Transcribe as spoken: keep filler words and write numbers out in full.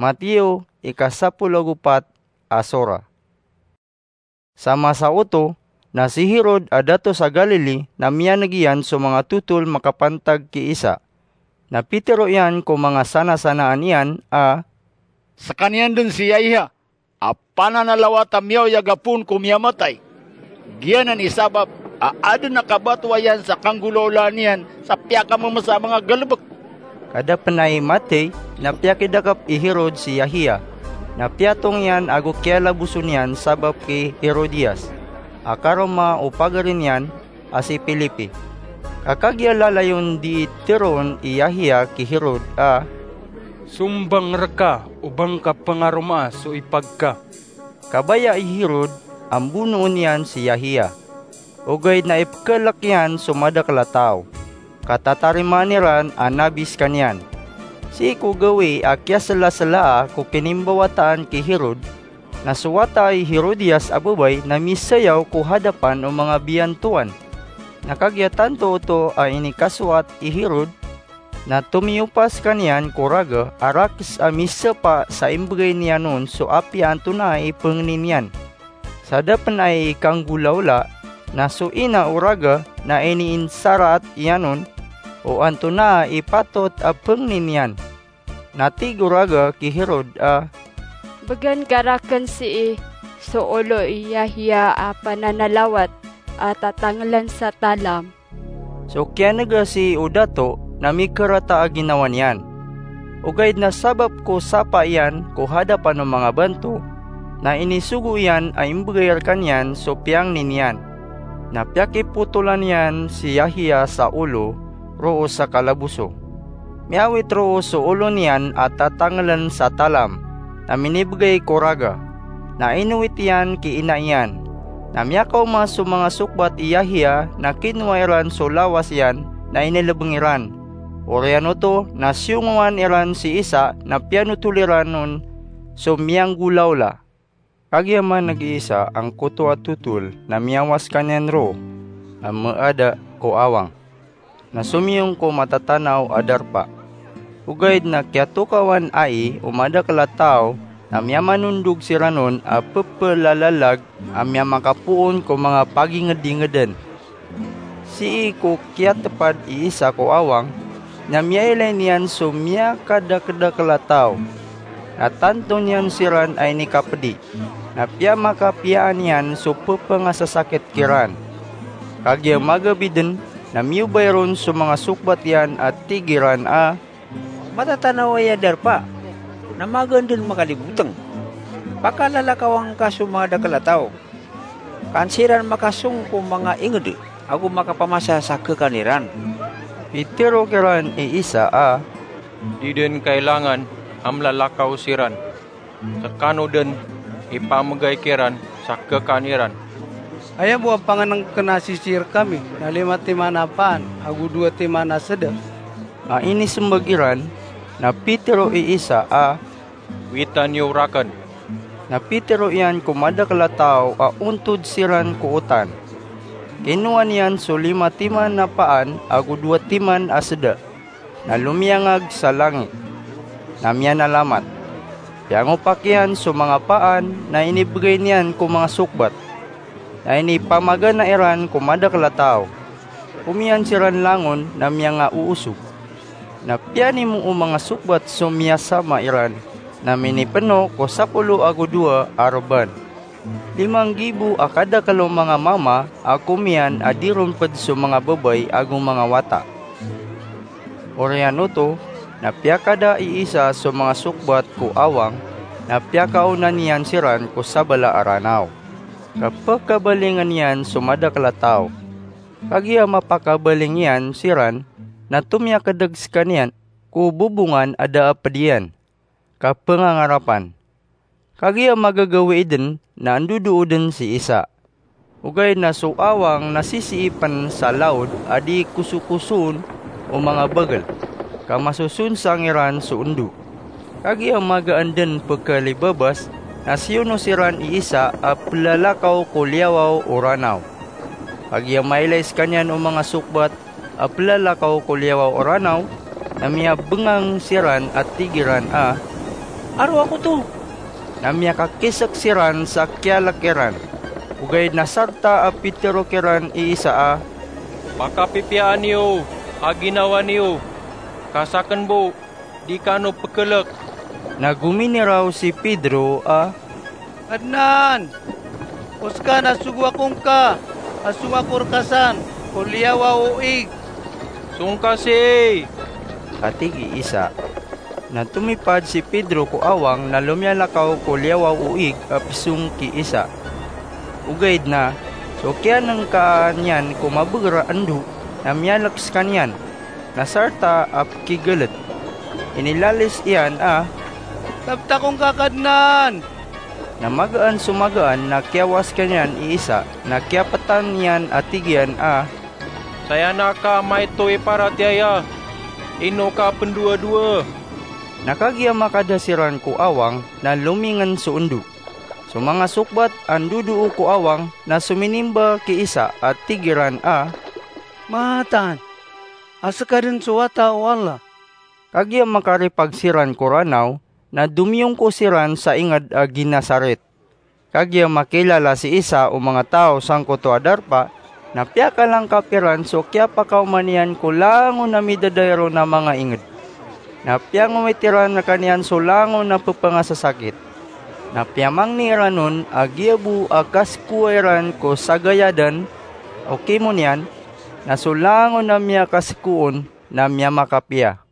Mateo, ika sapolo ago pat a sora. Sa masa oto, na si Herod a dato sa Galili na miyaneg iyan so manga totol makapantag ki Isa. Na pitero iyan ko manga sanasanaan iyan a, "Sekaniyan den si Yahya a pananalawat a miyaoyag a poon ko miyamatay. Giyanan i sabap a aden a kabatoa iyan sa kanggolawlaan iyan sa piyakamemesa a manga galebek." Kadapen ai matey na piyakidakep i Herod si Yahya, na piyatong iyan ago kiyalaboson iyan sabap ki Herodias, a karoma o pagari niyan a si Felipe. Ka kagiya lalayon dii teroon i Yahya ki Herod a, "Sombang reka o ba ngka pengaromaa so ipag ka." Kabaya i Herod a mbonoon iyan si Yahya, ogaid na ipekelek iyan so madakel a taw, ka tatarimaan iran a nabi sekaniyan. Sii ko gawii a kiyaselaselaa ko kinimbawataan ki Herod, na so wata i Herodias a babay na misayaw ko hadapan o manga biyantowan. Na kagiya tanto oto a inikasowat i Herod, na tomiyopa sekaniyan ko raga a rakes a misapa sa imbegay niyan on so apiya antonaa i pengni niyan. Sa da pen ai ikanggolawla, na so ina o raga na iniinsaraat iyan on o antonaa i patot a pengni niyan. Na tig o raga ki Herod a, "Began ka raken sii so olo i Yahya a pananalawat a tatangelen sa talam." So kiyanega sii o dato na mikerata a ginawa niyan. Ogaid na sabap ko sapa iyan ko hadapan o manga banto, na inisogo iyan a imbegay rekaniyan so piyangni niyan. Na piyakipotolan iyan si Yahya sa olo roo sa kalaboso. Miyawit roo so olo niyan a tatangelen sa talam, na minibegay ko raga, na inowit iyan ki ina iyan. Na miyakaoma so manga sokbat i Yahya na kinowa iran so lawas iyan na inelebeng iran. Oriyan oto na siyongowan iran si Isa na piyanotol iran on so miyanggolawla. Kagiya maneg i Isa angkoto a totol na miyawas sekaniyan roo a meada ko awang, na somiyong ko matatanaw a darpa. Ogaid na kiyatokawan ai o madakel a taw na miyamanondog siran on a pepelalalag a miyamakapoon ko manga pagingedingeden. Sii ko kiyatepad i Isa ko awang, na miyailay niyan so miyakadakedakel a taw, na tanto niyan siran a inikapedi, na piyamakapiyaan iyan so pepengasasakit kiran. Kagiya magabi den, na miyobay ron so manga sokbat iyan a tig iran a, "Matatanaw aya darpa, na magaan den makaliboteng. Pakalalakawa ngka so manga dakel a taw, ka an siran makasong ko manga inged ago makapamasa sa kekan iran." Pitero kiran i Isa a, "Di den kailangan a mlalakaw siran. Sekano den ipamegay kiran sa kekan iran." "Aya bo a pangenengken a sisii rekami na lima timan a paan ago dowa timan a seda?" A inisembag iran, na pitero i Isa a, "Witan iyo raken." Na pitero iyan ko madakel a taw a ontod siran ko otan. Kinowa niyan so lima timan a paan ago dowa timan a seda, na lomiyangag sa langit, na miyanalamat. Piyangopak iyan so manga paan na inibegay niyan ko manga sokbat, na inipamagana iran ko madakel a taw. Komiyan siran langon na miyangaoosog. Na piyanimo o manga sokbat so miyasama iran, na minipeno ko sapolo ago dowa a reban. Lima nggibo a kadakel o manga mama a komiyan a di ron ped so manga babay ago manga wata. Oriyan oto, na piyakada i Isa so manga sokbat ko awang, na piyakaona niyan siran ko sabala a Ranaw. Kapekabalingen iyan so madakel a taw. Kagiya mapakabaling iyan siran, na tomiyakedeg sekaniyan ko bobongan a da a ped iyan. Kapengangarapan. Kagiya magagawii den na andodoo den si Isa. Ogaid na so awang na sisiipen sa laod a di kosokosoon o manga bagel, ka masosonsang iran so endo. Kagiya magaan den pekalibabas, na siyono siran i Isa a pelalakaw ko liyawaw o Ranaw. Kagiya mailay sekaniyan o manga sokbat a pelalakaw ko liyawaw o Ranaw, na miyabengang siran a tig iran a, "Aro ako oto." Na miyakakisek siran sa kiyalek iran. Ogaid na sarta a pitero kiran i Isa a, "Pakapipiyaan iyo a ginawa niyo, ka saken bo, di kano pekelek." Na gominiraw si Pedro a, "Kadnan, o seka na sogo ako ngka a song ako rekasan ko liyawaw o ig." "Song ka sii," ka tig i Isa. Na tomipad si Pedro ko awang na lomiyalakaw ko liyawaw o ig a pesong ki Isa. Ogaid na so kiyanengkaan iyan ko mabeger a endo na miyalek sekaniyan, na sarta a pekigelet. Inilalis iyan a, "Tabta ako ngka, Kadnan!" Na magaan so magaan na kiyawa sekaniyan i Isa, na kiyapetan iyan a tig iyan a, "Saya na ka maito i paratiyaya, ino ka pendowadowa?" Na kagiya makada siran ko awang na lomingen so endo. So manga sokbat a ndodoo ko awang na sominimba ki Isa a tig iran a, "Mataan a seka den so Wata o Allah." Kagiya makaripag siran ko Ranaw na domiyongko siran sa inged a Genesaret. Kagiya makilala si Isa o manga taw sangkoto a darpa, na piyakalangkap iran so kiyapakaoma niyan ko langon a midadairo na manga inged. Na piyangowit iran rekaniyan so langon a pepengasasakit. Na piyamangni iran on a giya bo a kasekowa iran ko sagayadan o kimo niyan, na so langon a miyakasekoon na miyamakapiya.